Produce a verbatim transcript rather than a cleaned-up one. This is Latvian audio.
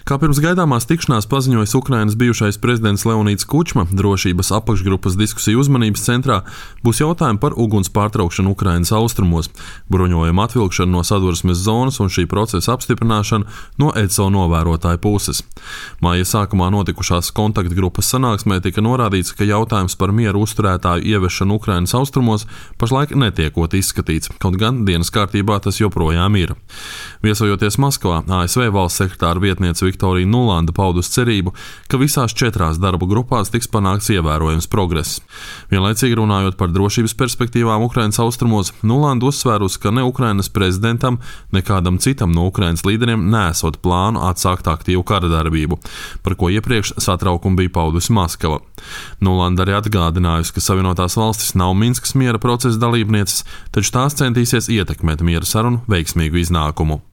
Kā pirms gaidāmās tikšanās paziņojis Ukrainas bijušais prezidents Leonīds Kučma, drošības apakšgrupas diskusiju uzmanības centrā būs jautājumi par uguns pārtraukšanu Ukrainas austrumos, bruņojuma atvilkšanu no sadursmes zonas un šī procesa apstiprināšanu no E C O novērotāju puses. Māja sākumā notikušās kontaktgrupas sanāksmē tika norādīts, ka jautājums par mieru uzturētāju ieviešanu Ukrainas austrumos pašlaik netiekot izskatīts, kaut gan dienas kārtībā tas joprojām ir. Viesojoties Maskavā, A S V valsts sekretāra vietniece Viktorija Nulanda paudus cerību, ka visās četrās darbu grupās tiks panākts ievērojams progress. Vienlaicīgi runājot par drošības perspektīvām Ukrainas austrumos, Nulanda uzsvērus, ka ne Ukrainas prezidentam, ne kādam citam no Ukrainas līderiem nesot plānu atsākt aktīvu kara darbību, par ko iepriekš satraukumu bija paudusi Maskava. Nulanda arī atgādinājusi, ka Savienotās valstis nav Minskas miera procesa dalībnieces, taču tās centīsies ietekmēt miera sarunu veiksmīgu iznākumu.